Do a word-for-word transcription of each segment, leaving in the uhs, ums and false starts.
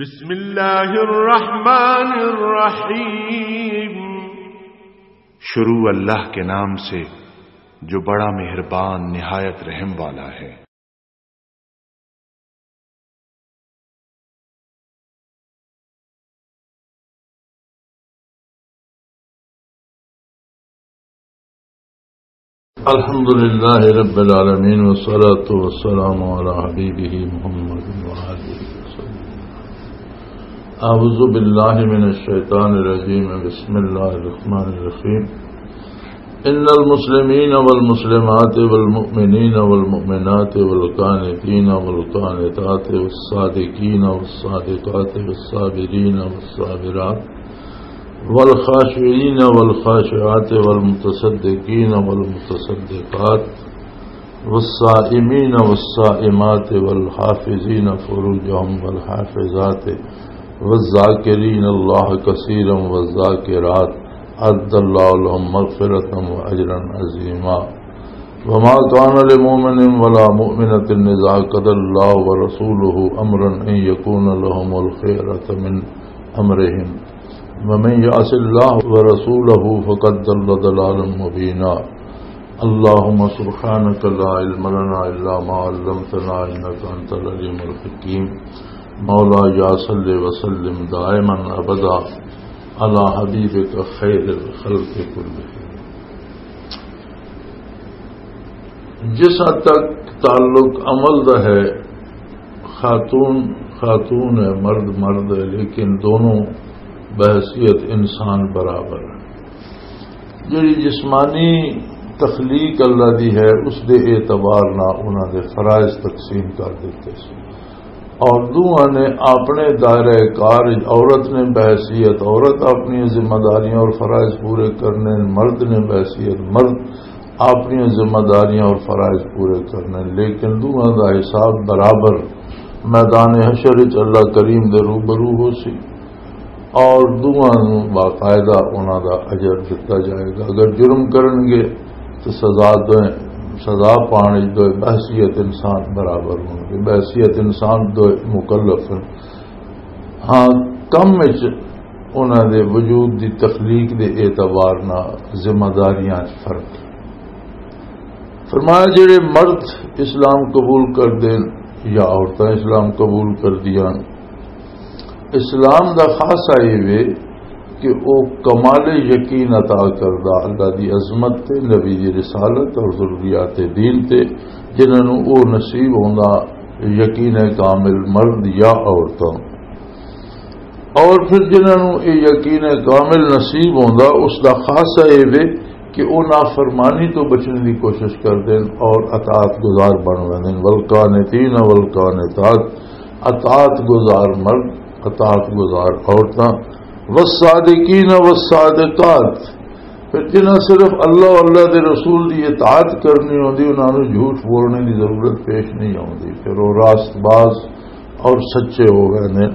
بسم اللہ الرحمن الرحیم۔ شروع اللہ کے نام سے جو بڑا مہربان نہایت رحم والا ہے۔ الحمد لله رب العالمين، والصلاة والسلام على حبيبه محمد وآله وسلم. أعوذ بالله من الشيطان الرجيم. بسم الله الرحمن الرحيم. إن المسلمين والمسلمات والمؤمنين والمؤمنات والقانتين والقانتات والصادقين والصادقات والصابرين والصابرات والخاشعين والخاشعات والمتصدقين والمتصدقات والصائمين والصائمات والحافظين فروجهم والحافظات والذاكرين الله كثيرا والذاكرات أعد الله لهم مغفرة وأجرا عظيما. وما كان لمؤمن ولا مؤمنة إذا قضى الله ورسوله أمرا أن يكون لهم الخيرة من أمرهم ومن يعص الله ورسوله فقد ضل ضلالا مبينا. اللهم سبحانك لا علم لنا إلا ما علمتنا إنك أنت العليم الحكيم. مولاي صل وسلم دائما أبدا على حبيبك خير الخلق كلهم. جس حد تک تعلق عمل دا ہے، خاتون خاتون ہے، مرد مرد ہے، لیکن دونوں بحیثیت انسان برابر ہیں۔ جڑی جسمانی تخلیق اللہ دی ہے، اس دے اعتبار نال انہاں دے فرائض تقسیم کر دتے سن۔ اور دوہاں نے اپنے دائرہ کار وچ، عورت نے بحیثیت عورت اپنی ذمہ داریاں اور فرائض پورے کرنے، مرد نے بحیثیت مرد اپنی ذمہ داریاں اور فرائض پورے کرنے، لیکن دوہاں دا حساب برابر میدان حشر وچ اللہ کریم دے روبرو ہو سی۔ اور دوواں نوں باقاعدہ انہاں دا اجر دتا جائے گا۔ اگر جرم کرن گے تو سزا دوئے، سزا پانے دوئے بحیثیت انسان برابر ہون گے، بحیثیت انسان دوئے مکلف ہیں۔ ہاں، کم وچ انہاں دے وجود دی تخلیق دے اعتبار نال ذمہ داریاں وچ فرق۔ فرمایا، جڑے مرد اسلام قبول کر دین یا عورتاں اسلام قبول کر دیاں، اسلام دا خاصہ یہ وے کہ او کمال یقین عطا کردا اللہ دی عظمت تے، نبی دی رسالت اور ضروریات دین تے، جنہاں نوں او نصیب ہوندا یقین کامل مرد یا عورتاں۔ اور پھر جنہاں نوں یہ یقین کامل نصیب ہوندا، اس دا خاصہ یہ وے کہ او نافرمانی تو بچنے دی کوشش کر دین اور اطاعت گزار بن ویندن۔ والقانتین والقانتات، اطاعت گزار مرد، اطاعت گزار عورتاں، والصادقین والصادقات۔ پھر جنہاں صرف اللہ اور اللہ دے رسول دی اطاعت کرنی ہوندی، انہاں نوں جھوٹ بولنے دی ضرورت پیش نہیں آوندی، پھر وہ راست باز اور سچے ہو گئے نے۔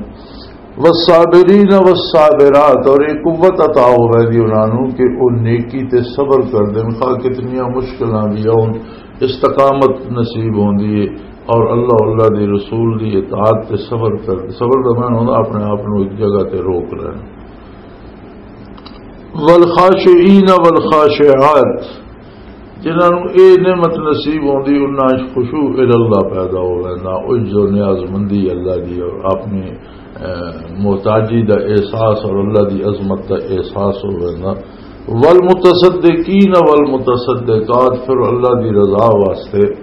والصابرین والصابرات، اور ایک قوت عطا ہو گئی دی انہاں نوں کہ وہ نیکی تے صبر کر دین، خواہ کتنیاں مشکلاں بھی آؤن، استقامت نصیب ہوندی ہے۔ اور اللہ، اللہ دی رسول دی اطاعت تے صبر کر، صبر دا معنی ہوندا اپنے آپ نوں ایک جگہ تے روک لینا۔ والخاشعین والخاشعات، جنہاں نوں اے نعمت نصیب ہوندی، انہاں وچ خشوع الی اللہ پیدا ہو ویندا، عجز و نیاز مندی اللہ دی اور اپنی، اے، محتاجی دا احساس اور اللہ دی عظمت دا احساس ہو ویندا۔ والمتصدقین والمتصدقات، پھر اللہ دی رضا واسطے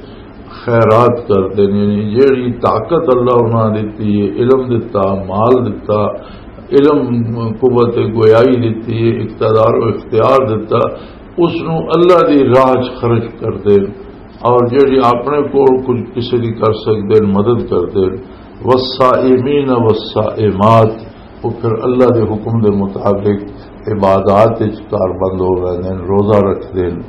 خیرات کردے نے، یعنی جیڑی طاقت اللہ انہاں دتی ہے، علم دتا، مال دتا، علم، قوت گویائی دتی ہے، اقتدار و اختیار دتا، اس نوں اللہ دی راہ چ خرچ کردے، اور جیڑی اپنے کول کچھ کسی دی کر سکدے، مدد کردے۔ والصائمین والصائمات، وہ پھر اللہ دے حکم دے مطابق عبادات وچ کار بند ہو رہے ہیں، روزہ رکھدے ہیں۔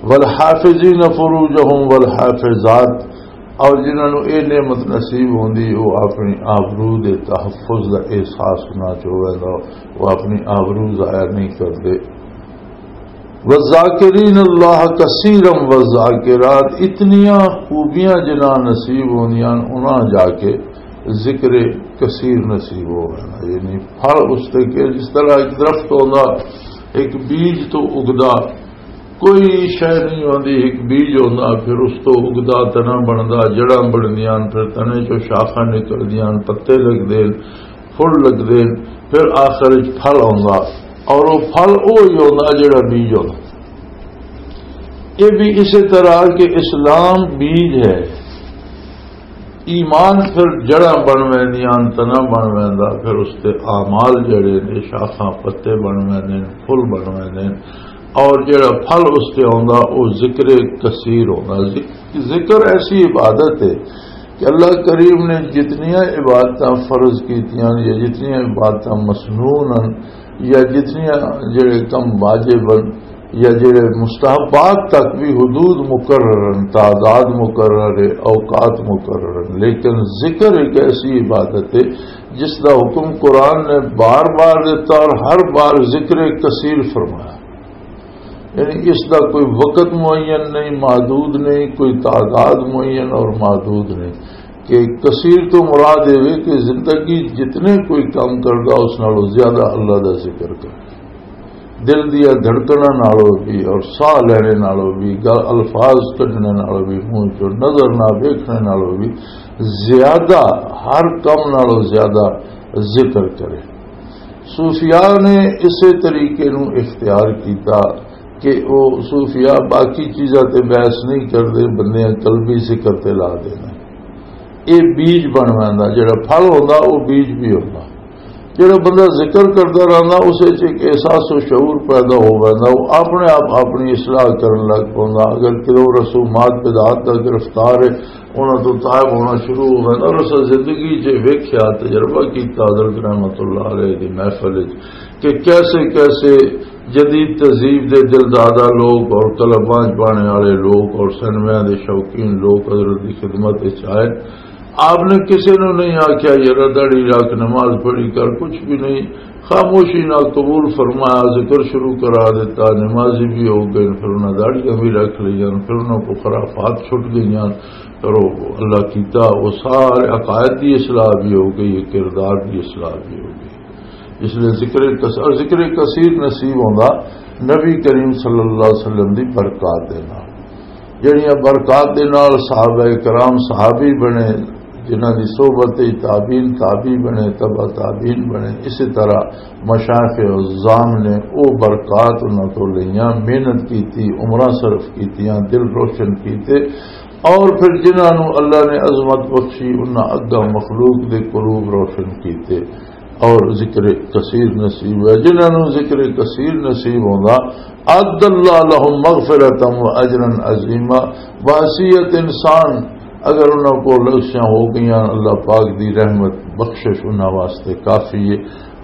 والحافظین فروجہم والحافظات، اور جنہاں نوں اے نعمت نصیب ہوندی، وہ اپنی آبرو دے تحفظ دا احساس نہ چ ہووے گا، وہ اپنی آبرو ضائع نہیں کردے۔ والذاکرین اللہ کثیرا والذاکرات، اتنیاں خوبیاں جنہاں نصیب ہوندیاں انہاں جا کے ذکر کثیر نصیب ہو گیا، یعنی پھل اس تے کہ جس طرح ایک درخت ہوندا، ایک بیج تو اگدا، کوئی شے نہیں ہوندی، ایک بیج ہوندا، پھر اس تو اگدا تنا بندا، جڑاں بندیاں، پھر تنے چوں شاخاں نکلدیاں، پتے لگدے، پھل لگدے، پھر آخر وچ پھل ہوندا، اور وہ پھل وہی ہوندا جڑا بیج ہوندا۔ یہ بھی اسی طرح کہ اسلام بیج ہے، ایمان پھر جڑاں بن ویندیاں، تنا بن ویندا، پھر اس تے اعمال جڑے نے، شاخاں پتے بن ویندے نے، پھل بن ویندے نے، اور جڑا پھل اس تے آوندا، او ذکر کثیر ہوندا۔ ذک-، ذکر ایسی عبادت ہے کہ اللہ کریم نے جتنیاں عبادتاں فرض کیتیاں یا جتنیاں عبادتاں مسنون ہیں یا جتنیاں جڑے کم واجب ہیں، یا جڑے مستحبات تک بھی حدود مقرر ہیں، تعداد مقرر ہے، اوقات مقرر ہیں، لیکن ذکر ایک ایسی عبادت ہے جس دا حکم قرآن نے بار بار دیتا اور ہر بار ذکر کثیر فرمایا۔ یعنی اس دا کوئی وقت معین نہیں، محدود نہیں، کوئی تعداد معین اور محدود نہیں۔ کہ کثیر تو مراد یہ کہ زندگی جتنے کوئی کام کردا، اس نالوں زیادہ اللہ دا ذکر کر، دل دیا دھڑکناں نالوں بھی اور ساہ لینے نالوں بھی، گل الفاظ کڈنے نالوں بھی، منہ چوں نظر نہ ویکھنے نالوں بھی زیادہ ہر کم نالوں زیادہ ذکر کرے۔ صوفیاء نے اسے طریقے نو اختیار کیتا کہ وہ صوفیاء باقی چیزاں تے بحث نہیں کردے، بندیاں قلبی ذکر تے لا دینا۔ یہ بیج بن ویندا، جڑا پھل ہوندا، وہ بیج بھی ہوندا۔ جڑا بندہ ذکر کردا رہندا، اس وچ ایک احساس و شعور پیدا ہو ویندا، وہ اپنے آپ اپنی اصلاح کرن لگ پوندا۔ اگر کدھروں رسومات بدعات دا گرفتار ہے، انہاں تو تائب ہونا شروع ہو ویندا۔ اور اس زندگی چ ویکھیا، تجربہ کیتا حضرت رحمت اللہ علیہ دی محفل وچ کہ کیسے کیسے جدید تہذیب دے دلدادہ لوگ اور قلم بانج پانے والے لوگ اور سینمیا دے شوقین لوگ حضرت دی خدمت وچ آئے۔ آپ نے کسی نو نہیں آکھیا، "یارا، داڑھی رکھ، نماز پڑھی کر"، کچھ بھی نہیں۔ خاموشی نال قبول فرمایا، ذکر شروع کرا دیتا، نمازی بھی ہو گئے، پھر انہاں داڑھیاں بھی رکھ لئیاں، پھر انہاں کو خرافات چھٹ گئیاں۔ کرو، اللہ کیتا، وہ سارے عقائد دی اصلاح بھی ہو گئی، کردار دی اصلاح بھی ہو گئی۔ اس لیے ذکر کث-، اور ذکر کثیر نصیب ہوندا نبی کریم صلی اللہ علیہ وسلم دی برکات دے نال۔ جڑیاں برکات دے نال صحابہ کرام صحابی بنے، جنہاں دی صحبت وچ تابعین تابعی بنے، تبع تابعین بنے، اسی طرح مشائخ عظام نے او برکات انہاں تو لئیاں، محنت کیتی، عمراں صرف کیتیاں، دل روشن کیتے، اور پھر جنہاں نوں اللہ نے عظمت بخشی، انہاں اگاں مخلوق دے قلوب روشن کیتے اور ذکر کثیر نصیب ہے۔ جنہاں نوں ذکر کثیر نصیب ہوندا، اعد اللہ لهم مغفرة و اجرا عظیما۔ بحیثیت انسان اگر انہاں کو لغزشاں ہو گئیاں، اللہ پاک دی رحمت، بخشش انہاں واسطے کافی ہے،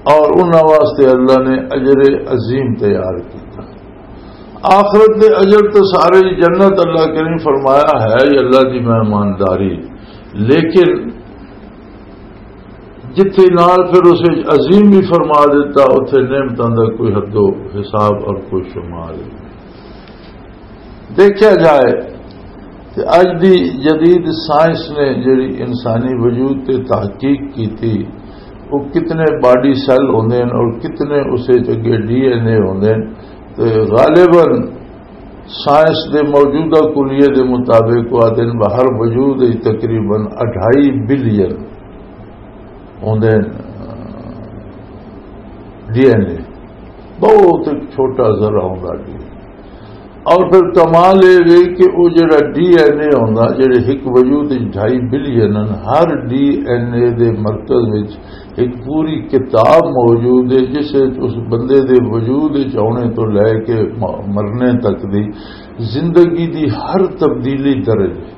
اور انہاں واسطے اللہ نے اجر عظیم تیار کیتا۔ آخرت دے اجر تے سارے ہی جنت، اللہ کریم فرمایا ہے، یہ اللہ دی مہمانداری۔ لیکن جتھے نال پھر اسے عظیم بھی فرما دیتا، اتھے نعمتاں دا کوئی حد و حساب اور کوئی شمار نہیں۔ دیکھا جائے تے اج دی جدید سائنس نے جڑی انسانی وجود تے تحقیق کیتی، وہ کتنے باڈی سیل ہوندے ہیں اور کتنے اسے چ اگے ڈی این اے ہوندے ہیں۔ تے غالباً سائنس دے موجودہ کلیے دے مطابق وہ دن باہر وجود وچ تقریباً اڑھائی بلین ہوندے ہیں، ڈی این اے، بہت ایک چھوٹا ذرا ہوندا ڈی این اے۔ اور پھر کمال یہ وے کہ وہ جڑا ڈی این اے ہوندا، جڑے ایک وجود وچ ڈھائی بلین ہیں، ہر ڈی این اے دے مرکز وچ ایک پوری کتاب موجود ہے، جس وچ اس بندے دے وجود وچ آنے تو لے کے م-، مرنے تک دی زندگی دی ہر تبدیلی درج ہے۔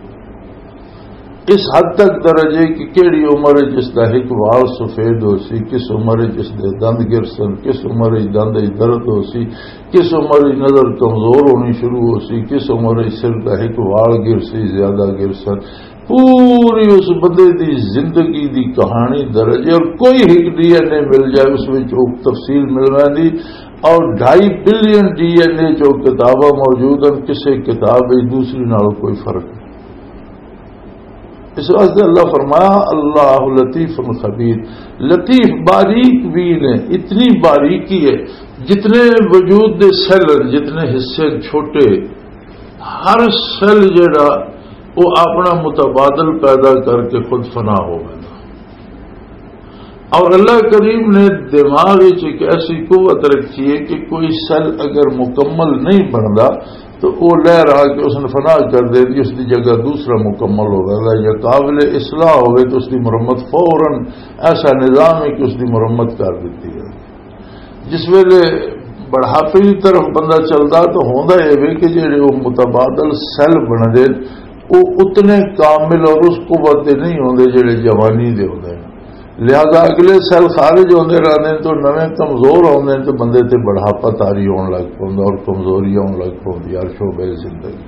اس حد تک درج ہے کہ کیڑی عمر وچ اس دا ایک وال سفید ہو سی، کس عمر وچ اس دے دند گر سن، کس عمر وچ دند وچ درد ہو سی، کس عمر وچ نظر کمزور ہونی شروع ہو سی، کس عمر وچ سر دا ایک وال گر سی، زیادہ گر سن۔ پوری اس بندے دی زندگی دی کہانی درج ہے، اور کوئی ایک ڈی این اے مل جائے، اس وچ وہ تفصیل مل ویندی۔ اور ڈھائی بلین ڈی این اے جو کتاباں موجود ہیں، کسے کتاب وچ دوسری نال کوئی فرق نہیں۔ اس واسطے اللہ فرمایا، "اللہ لطیف خبیر۔" لطیف، باریک بین ہے، اتنی باریکی ہے، جتنے وجود دے سیل ہیں، جتنے حصے ہیں چھوٹے، ہر سیل جڑا، وہ اپنا متبادل پیدا کر کے خود فنا ہو گیا۔ اور اللہ کریم نے دماغ وچ ایک ایسی قوت رکھی ہے کہ کوئی سیل اگر مکمل نہیں بنتا تو وہ لہر آ کے اس نے فنا کر دے دی، اس کی جگہ دوسرا مکمل ہو جاتا ہے، یا قابل اصلاح ہوئے تو اس کی مرمت فوراً، ایسا نظام ہے کہ اس کی مرمت کر دیتی ہے۔ جس ویلے بڑھاپے کی طرف بندہ چلدا تو ہوندا اے وے کہ جڑے وہ متبادل سیل بندے، وہ اتنے کامل اور اس قوت دے نہیں ہوندے جڑے جوانی دے ہوندے نے۔ لہذا اگلے سیل خارج ہوندے رہندے نے تو نویں کمزور ہوندے نے تو بندے تے بڑھاپا طاری ہون لگ پوندا اور کمزوری آن لگ پوندی ہر شعبے زندگی۔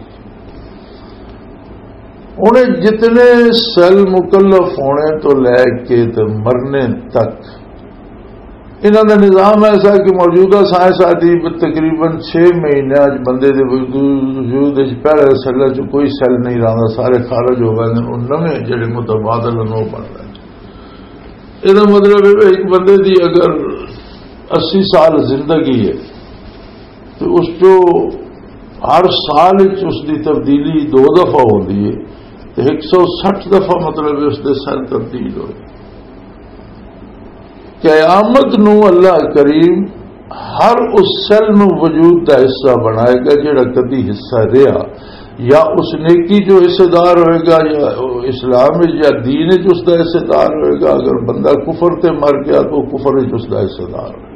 انہیں جتنے سیل مکلف ہونے تو لے کے تے مرنے تک، انہاں دا نظام ایسا کہ موجودہ سائنس آدی تقریباً چھ مہینے اج بندے دے وجود وچ پہلے سیل چ کوئی سیل نہیں رہندا، سارے خارج ہو گئے نے، وہ نویں جڑے متبادل ہیں وہ بن رہے ہیں۔ یہ مطلب ہے کہ ایک بندے دی اگر اسی سال زندگی ہے تو اس چو ہر سال وچ اس دی تبدیلی دو دفعہ ہوندی ہے، تو ایک سو سٹھ دفعہ مطلب اس دے سیل تبدیل ہوئے۔ قیامت نو اللہ کریم ہر اس سیل نو وجود دا حصہ بنائے گا جڑا کدی حصہ رہا، یا اس نیکی جو حصے دار ہوئے گا، یا اسلام وچ یا دین وچ اس دا حصے دار ہوئے گا۔ اگر بندہ کفر تے مر گیا تو کفر وچ اس دا حصے دار ہوئے گا۔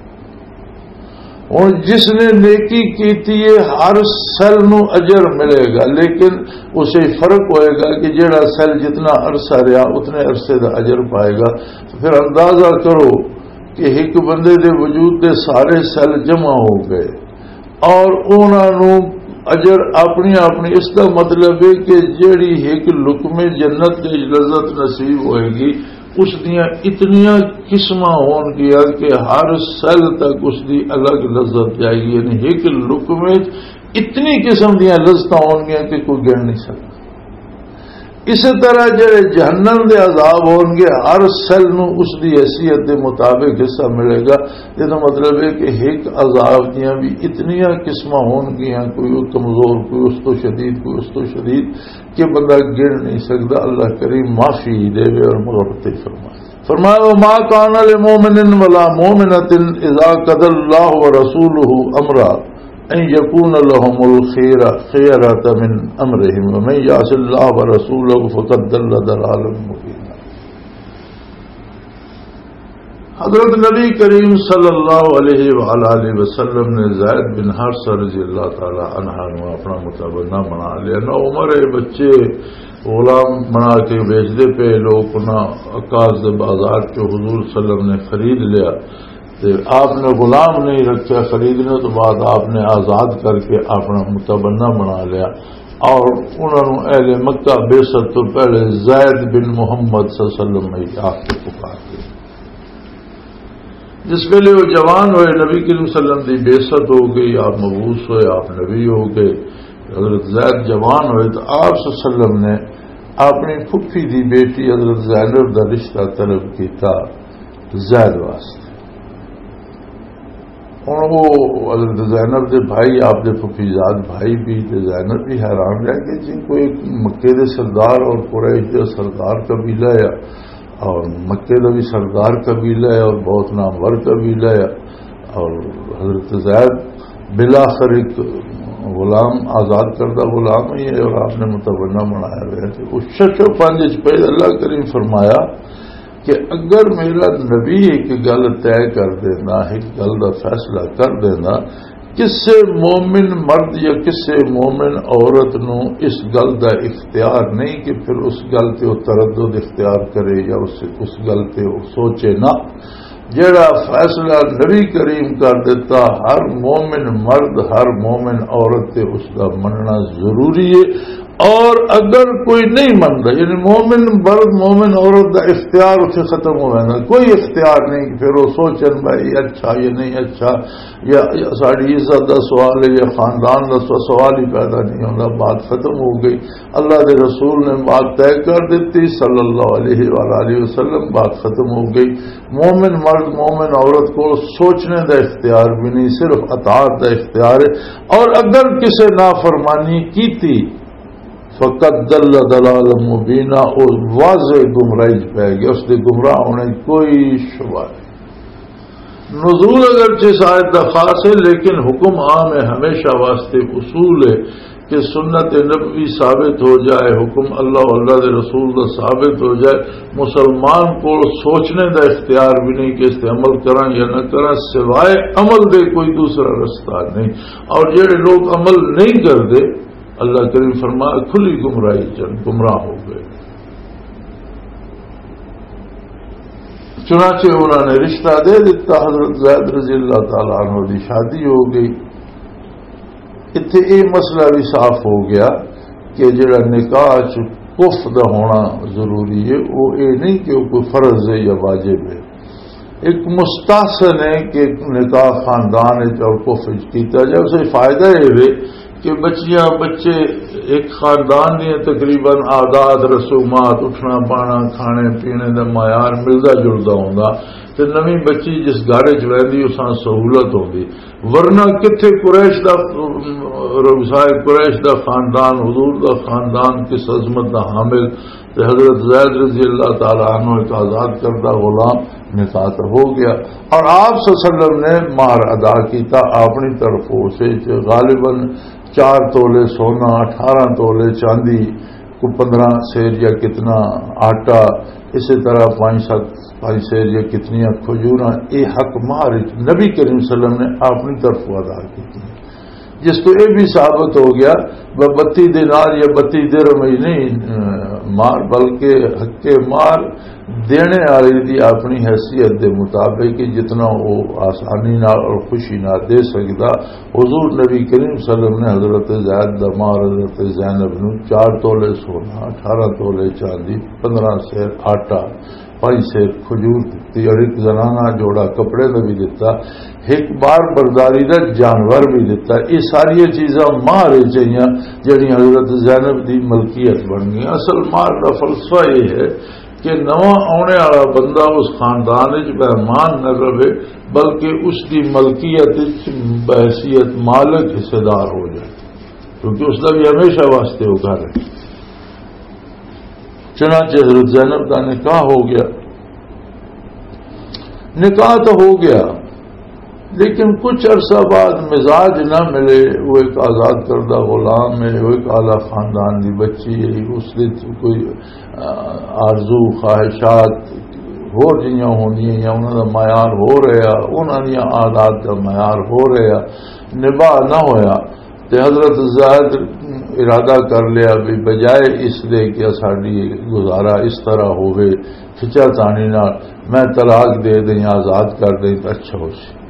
ہن جس نے نیکی کیتی ہے، ہر سیل نو اجر ملے گا، لیکن اسے فرق ہوئے گا کہ جڑا سیل جتنا عرصہ رہا، اتنے عرصے دا اجر پائے گا۔ تو پھر اندازہ کرو کہ ایک بندے دے وجود دے سارے سیل جمع ہو گئے اور انہاں نو اجر اپنی اپنی، اس دا مطلب ہے کہ جڑی ایک لقمے جنت دی لذت نصیب ہوئے گی، اس دیاں اتنیاں قسماں ہون گیا کہ ہر سیل تک اس دی الگ لذت جائے گی۔ یعنی ایک لقمے وچ اتنی قسم دیاں لذتاں ہون گیا کہ کوئی گن نہیں سکتا۔ اسی طرح جڑے جہنم دے عذاب ہون گے، ہر سیل نو اس دی حیثیت دے مطابق حصہ ملے گا۔ یہ تو مطلب ہے کہ ایک عذاب دیاں بھی اتنیاں قسماں ہون گیاں، کوئی کمزور، کوئی اس تو شدید، کوئی اس تو شدید، کہ بندہ گن نہیں سکتا۔ اللہ کریم معافی دے اور مغفرت فرمائے۔ فرمایا، "وما كان لمؤمن ولا مؤمنة إذا قضى الله ورسوله أمرا أن يكون لهم الخيرة من أمرهم ومن يعص الله ورسوله فقد ضل ضلالا مبينا۔" حضرت نبی کریم صلی اللہ علیہ وآلہ وسلم نے زید بن حارثہ رضی اللہ تعالی عنہ نو اپنا متبنہ بنا لیا۔ نہ عمر ہے، بچے غلام بنا کے بیچ دے پے لوگ، انہاں عکاظ دے بازار چوں حضور صلی اللہ علیہ وسلم نے خرید لیا۔ تے آپ نے غلام نہیں رکھیا، خریدنے تو بعد آپ نے آزاد کر کے اپنا متبنہ بنا لیا۔ اور انہاں نوں اہل مکہ بعثت تو پہلے زید بن محمد صلی اللہ علیہ وسلم میں آ کے پکار دیا۔ جس ویلے وہ جوان ہوئے، نبی کریم صلی اللہ علیہ وسلم دی بعثت ہو گئی، آپ مبعوث ہوئے، آپ نبی ہو گئے۔ حضرت زید جوان ہوئے تو آپ صلی اللہ علیہ وسلم نے اپنی پھپھی دی بیٹی حضرت زینب دا رشتہ طلب کیتا زید واسطے۔ ہن وہ حضرت زینب دے بھائی، آپ دے پھپھی زاد بھائی بھی تے زینب بھی حیران رہ گئے، جی کوئی مکے دے سردار اور قریش دے سردار قبیلہ ہے، اور مکے دا بھی سردار قبیلہ ہے اور بہت نامور قبیلہ ہے، اور حضرت زید بالآخر ایک غلام، آزاد کردہ غلام ہی ہے اور آپ نے متبنہ بنایا ہوا ہے۔ تو اس شش و پنج وچ پہلے اللہ کریم فرمایا کہ اگر میرا نبی ایک گل طے کر دینا، ایک گل دا فیصلہ کر دینا، کسے مومن مرد یا کسے مومن عورت نو اس گل دا اختیار نہیں کہ پھر اس گل تے وہ تردد اختیار کرے یا اس، اس گل تے وہ سوچے نہ۔ جڑا فیصلہ نبی کریم کر دیتا، ہر مومن مرد، ہر مومن عورت تے اس دا مننا ضروری ہے۔ اور اگر کوئی نہیں منتا، یعنی مومن مرد، مومن عورت دا اختیار اتھے ختم ہو جانا، کوئی اختیار نہیں کہ پھر وہ سوچن بھائی اچھا یا نہیں اچھا، یا، یا ساڑی عزت دا سوال ہے یا خاندان دا سو-، سوال ہی پیدا نہیں ہوتا، بات ختم ہو گئی۔ اللہ دے رسول نے بات طے کر دیتی، صلی اللہ علیہ وآلہ وسلم، بات ختم ہو گئی۔ مومن مرد، مومن عورت کو سوچنے دا اختیار بھی نہیں، صرف اطاعت دا اختیار ہے۔ اور اگر کسے نافرمانی کیتی، فقد ضل ضلالا مبینا، او واضح گمراہی چ پی گیا، اس دے گمراہ ہونے کوئی شبہ نہیں۔ نزول اگرچہ اس آیت دا خاص ہے، لیکن حکم عام ہے، ہمیشہ واسطے اصول ہے کہ سنت نبوی ثابت ہو جائے، حکم اللہ و اللہ دے رسول دا ثابت ہو جائے، مسلمان کو سوچنے دا اختیار بھی نہیں کہ اس تے عمل کراں یا نہ کراں، سوائے عمل دے کوئی دوسرا رستہ نہیں۔ اور جڑے لوگ عمل نہیں کردے، اللہ کریم فرما، کھلی گمراہی چن گمراہ ہو گئے۔ چنانچہ انہوں نے رشتہ دے دیتا، حضرت زید رضی اللہ تعالیٰ عنہ دی شادی ہو گئی۔ اتھے یہ مسئلہ بھی صاف ہو گیا کہ جڑا نکاح چ کف دا ہونا ضروری ہے، وہ یہ نہیں کہ وہ کوئی فرض ہے یا واجب ہے۔ ایک مستحسن ہے کہ نکاح خاندان وچ اور کف وچ کیتا جائے، اسے فائدہ یہ ہے کہ بچیاں، بچے، ایک خاندان دیاں تقریباً عادات، رسومات، اٹھنا، پانا، کھانے پینے دا معیار ملدا جلدا ہوندا، تے نویں بچی جس گھر وچ ویندی، اس نال سہولت ہوندی۔ ورنہ کتھے قریش دا، رؤسائے قریش دا خاندان، حضور دا خاندان، کس عظمت دا حامل، تے حضرت زید رضی اللہ تعالیٰ عنہ ایک آزاد کردہ غلام نکاح تے ہو گیا۔ اور آپ صلی اللہ علیہ وسلم نے مہر ادا کیتا اپنی طرفوں سے، غالباً چار تولے سونا، اٹھارہ تولے چاندی، کو پندرہ سیر یا کتنا آٹا، اسی طرح پانچ ست، پانچ سیر یا کتنیاں کھجوراں، یہ حق مہر نبی کریم صلی اللہ علیہ وسلم نے اپنی طرفوں ادا کیتی۔ جس تو یہ بھی ثابت ہو گیا، وہ بتی دینار یا بتی درہم ہی نہیں، اہ، مار، بلکہ حق مار دینے والے دی اپنی حیثیت دے مطابق کہ جتنا وہ آسانی نال اور خوشی نال دے سکدا۔ حضور نبی کریم صلی اللہ علیہ وسلم نے حضرت زید دا مار حضرت زینب نو چار تولے سونا، اٹھارہ تولے چاندی، پندرہ سیر آٹا، پانچ سیر کھجور دتی اور ایک زنانہ جوڑا کپڑے دا بھی دتا۔ ایک بار برداری دا جانور بھی دتا۔ یہ ساری چیزاں مہر چاہیے، جڑی حضرت زینب دی ملکیت بن گئی۔ اصل مہر دا فلسفہ یہ ہے کہ نواں آنے والا بندہ اس خاندان وچ مہمان نہ رہے، بلکہ اس دی ملکیت وچ بحیثیت مالک حصے دار ہو جائے، کیونکہ اس دا بھی ہمیشہ واسطے وہ گھر ہے۔ چنانچہ حضرت زینب دا نکاح ہو گیا۔ نکاح تو ہو گیا، لیکن کچھ عرصہ بعد مزاج نہ ملے۔ وہ ایک آزاد کردہ غلام ہے، وہ ایک اعلیٰ خاندان دی بچی ہے، اس دے تو کوئی، آ، آرزو، خواہشات، ہور جیاں ہوندیاں یا انہاں دا معیار ہو رہا، انہاں دیاں عادات دا معیار ہو رہا، نباہ نہ ہویا۔ تے حضرت زید ارادہ کر لیا بھی بجائے اس دے کہ ساڈی گزارا اس طرح ہوئے، کھچا تانی نال، میں طلاق دے دیں، آزاد کر دیں تو اچھا ہو سی۔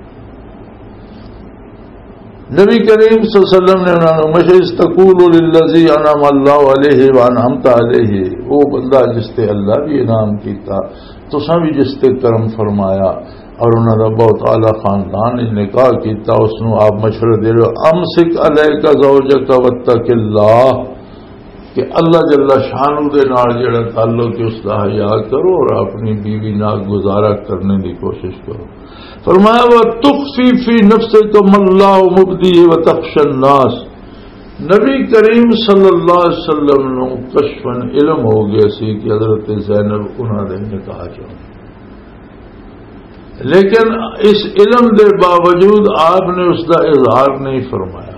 نبی کریم صلی اللہ علیہ وسلم نے انہاں نوں مشورہ، "اذ تقول للذی انعم اللہ علیہ وانعمت علیہ"، وہ بندہ جس تے اللہ بھی انعام کیتا، تساں بھی جس تے کرم فرمایا، اور انہاں دا بہت اعلیٰ خاندان نے نکاح کیتا، اس نوں آپ مشورہ دے رہے ہو، "امسک علیک زوجک واتق اللہ"، کہ اللہ جل شانہ دے نال جڑا تعلق ہے، اس دا حیا کرو اور اپنی بیوی نال گزارا کرنے دی کوشش کرو۔ فرمایا، "وَتُخْفِي فِي نَفْسِكَ مَا اللَّهُ مُبْدِيهِ وَتَخْشَى النَّاسَ۔" نبی کریم صلی اللہ علیہ وسلم نو کشفاً علم ہو گیا سی کہ حضرت زینب انہاں دے نکاح چ ہون۔ لیکن اس علم دے باوجود آپ نے اس دا اظہار نہیں فرمایا،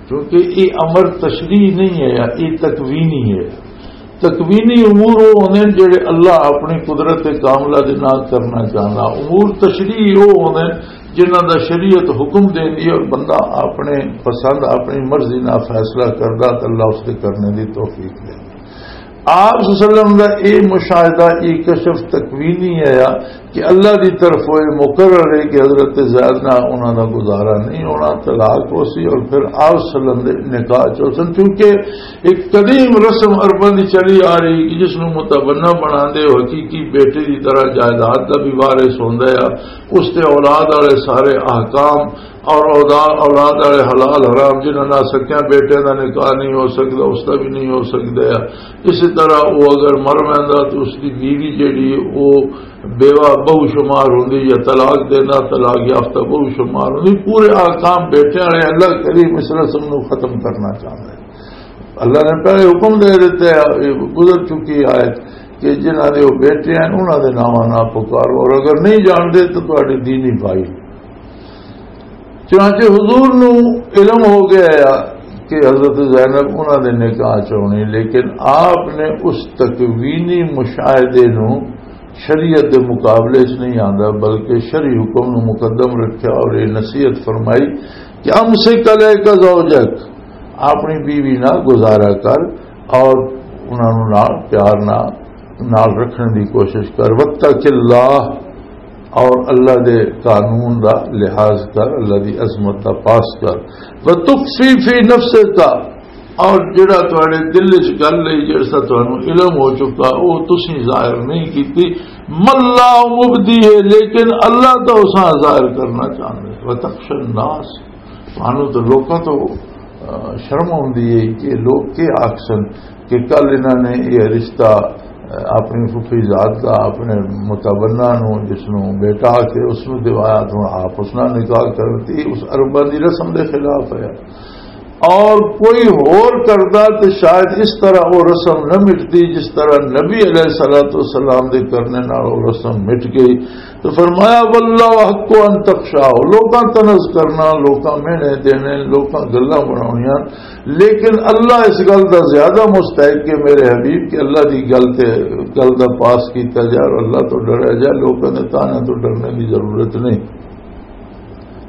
کیونکہ یہ امر تشریح نہیں ہے، یہ تکوینی ہے۔ تکوینی امور وہ ہوندے نے جڑے اللہ اپنی قدرت کاملہ دے نال کرنا چاہندا۔ امور تشریح وہ ہوندے نے جنہاں دا شریعت حکم دیندی ہے اور بندہ اپنے پسند، اپنی مرضی نال فیصلہ کردا تے اللہ اس دے کرنے دی توفیق دیندا۔ آپ صلی اللہ علیہ وسلم دا اے مشاہدہ، اے کشف تکوینی ہے کہ اللہ دی طرف وہ مقرر ہے کہ حضرت زید نال انہاں دا گزارا نہیں ہونا، طلاق ہو سی، اور پھر آپ صلی اللہ علیہ وسلم دے نکاح چ ہو سن۔ چونکہ ایک قدیم رسم عرباں دی چلی آ رہی کہ جس نوں متبنہ بنا دے، وہ حقیقی بیٹے دی طرح جائیداد دا بھی وارث ہوندا ہے، اس تے اولاد والے سارے احکام اور اولاد، اولاد والے حلال حرام، جنہاں نال سکیاں بیٹے دا نکاح نہیں ہو سکدا، اس دا بھی نہیں ہو سکدا ہے۔ اسی طرح وہ اگر مر ویندا تو اس دی بیوی جڑی ہے، وہ بیوہ بہو شمار ہوندی یا طلاق دینا، طلاق یافتہ بہو شمار ہوندی۔ پورے احکام بیٹے والے اللہ کریم اس رسم نو ختم کرنا چاہتا ہے۔ اللہ نے پہلے حکم دے دیتا ہے، یہ گزر چکی آیت، کہ جنہاں دے وہ بیٹے ہیں، انہاں دے ناواں نہ پکارو، اور اگر نہیں جانتے تو تہاڈے دینی بھائی۔ چنانچہ حضور نو علم ہو گیا کہ حضرت زینب انہاں دے نکاح چ ہونی، لیکن آپ نے اس تکوینی مشاہدے نو شریعت دے مقابلے چ نہیں آندا، بلکہ شرعی حکم نو مقدم رکھیا اور یہ نصیحت فرمائی کہ امسک علیک زوجک، اپنی بیوی نال گزارا کر اور انہاں نوں نال پیار نال، نال رکھنے دی کوشش کر۔ واتق اللہ، اور اللہ دے قانون دا لحاظ کر، اللہ دی عظمت دا پاس کر۔ وتخفی فی نفسک، اور جڑا تواڈے دل وچ گل ہے، جڑا تانوں علم ہو چکا، وہ تسی ظاہر نہیں کیتی۔ ملا مبدی ہے، لیکن اللہ تو اساں ظاہر کرنا چاہندے۔ وتخشی الناس، تانوں تو لوکاں تو، آ، شرم آندی ہے کہ لوگ کی آکھسن کہ کل انہاں نے یہ رشتہ، آ، اپنی پھپھی ذات دا اپنے متبنہ نو، جس نو بیٹا آکھے، اس نو دیوایا، تو آپ اس نال نکاح کرتی، اس عرباں دی رسم دے خلاف ہے۔ اور کوئی ہور کردا تے شاید اس طرح وہ رسم نہ مٹدی جس طرح نبی علیہ الصلوۃ والسلام دے کرنے نال وہ رسم مٹ گئی۔ تو فرمایا، واللہ حق ان تخشاہ، لوکاں طنز کرنا، لوکاں مہنے دینے، لوکاں گلاں بناونیاں، لیکن اللہ اس گل دا زیادہ مستحق کہ میرے حبیب کہ اللہ دی گل تے، گل دا پاس کیتا جائے اور اللہ تو ڈریا جائے، لوکاں دے طعنیاں تو ڈرنے دی ضرورت نہیں۔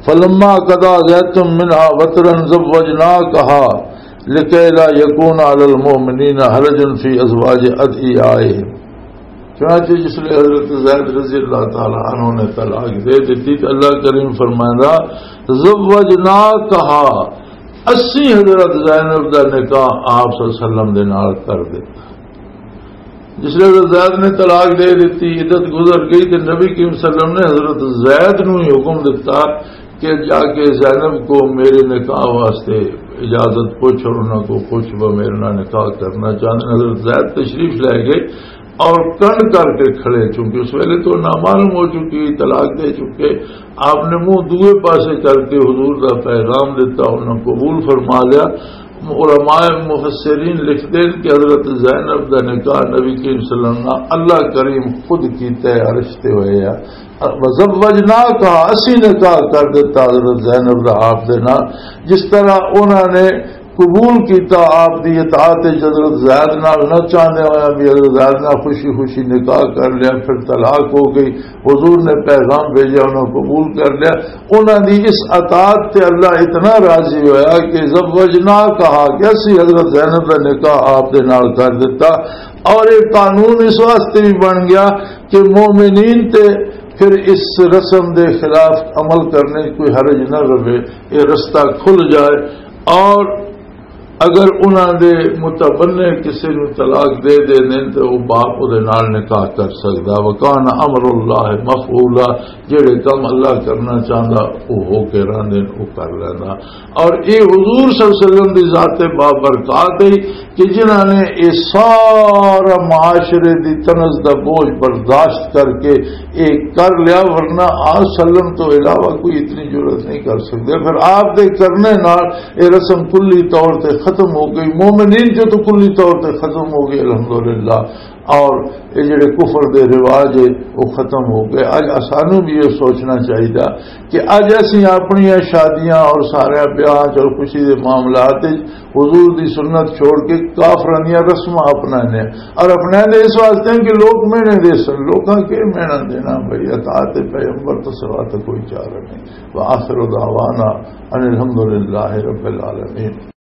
فلما قضا زید منها وطرا زوجناکها لکی لا یکون علی المؤمنین حرج فی ازواج ادعیائهم۔ چنانچہ جس لئے حضرت زید رضی اللہ تعالی عنہ نے طلاق دے دیتی تو اللہ کریم فرمائندا، زوجناکها، اسی حضرت زینب دا نکاح آپ صلی اللہ علیہ وسلم دے نال کر دیتا۔ جس لئے حضرت زید نے طلاق دے دیتی، عدت گزر گئی تو نبی کریم صلی اللہ علیہ وسلم نے حضرت زید نو ہی حکم دیتا کہ جا کے زینب کو میرے نکاح واسطے اجازت پوچھ اور انہاں کو پوچھ، وہ میرے نال نکاح کرنا چاہتے ہیں۔ حضرت زید تشریف لے گئے اور کن کر کے کھڑے، چونکہ اس ویلے تو نامعلوم ہو چکی، طلاق دے چکے۔ آپ نے منہ دوئے پاسے کر کے حضور دا پیغام دیتا، انہاں قبول فرما لیا۔ علماء مفسرین لکھتے ہیں کہ حضرت زینب دا نکاح نبی کریم صلی اللہ علیہ وسلم اللہ کریم خود کیتا ہے، عرش تے ہوئے ہے۔ وزوجناکہا، اسی نکاح کر دیتا حضرت زینب دا آپ دے نال، جس طرح انہاں نے قبول کیتا آپ دی اطاعت وچ حضرت زید نال، نہ چاہندے ہوئے بھی حضرت زید نال خوشی خوشی نکاح کر لیا، پھر طلاق ہو گئی، حضور نے پیغام بھیجا، انہاں قبول کر لیا۔ انہاں دی اس اطاعت تے اللہ اتنا راضی ہویا کہ زوجناکہا، کہ اسی حضرت زینب دا نکاح آپ دے نال کر دیتا۔ اور ایک قانون اس واسطے بھی بن گیا کہ مومنین تے پھر اس رسم دے خلاف عمل کرنے کوئی حرج نہ رہے، یہ رستہ کھل جائے۔ اور اگر انہاں دے متبنع کسی نو طلاق دے دیندے تے او باپ اودے نال نکاح کر سکدا۔ وکان امر اللہ مفعولا، جڑے کم اللہ کرنا چاہندا او ہو کے رہندے، او کر لیندا۔ اور اے حضور صلی اللہ علیہ وسلم دی ذات بابرکات ہے کہ جنہاں نے اے سارا معاشرے دی طنز دا بوجھ برداشت کر کے اے کر لیا، ورنہ آج سلم تو علاوہ کوئی اتنی جرات نہیں کر سکتے۔ پھر آپ دے کرنے نال اے رسم کلی طور تے ختم ہو گئی، مومنین جو تو کلی طور تے ختم ہو گئی، الحمدللہ۔ اور اے جڑے کفر دے رواج ہے، وہ ختم ہو گئے۔ اج اسانو بھی یہ سوچنا چاہیے کہ اج اسی اپنی شادیاں اور سارے بیاہ اور خوشی دے معاملات وچ حضور دی سنت چھوڑ کے کافراں دیاں رسماں اپنانے، اور اپنانے اس واسطے ہیں کہ لوگ مہنے دے سن۔ لوکاں کے مہنا دینا بھائی؟ اطاعت پیغمبر تو سوا تو کوئی چارہ نہیں۔ وآخر دعوانا ان الحمدللہ رب العالمین۔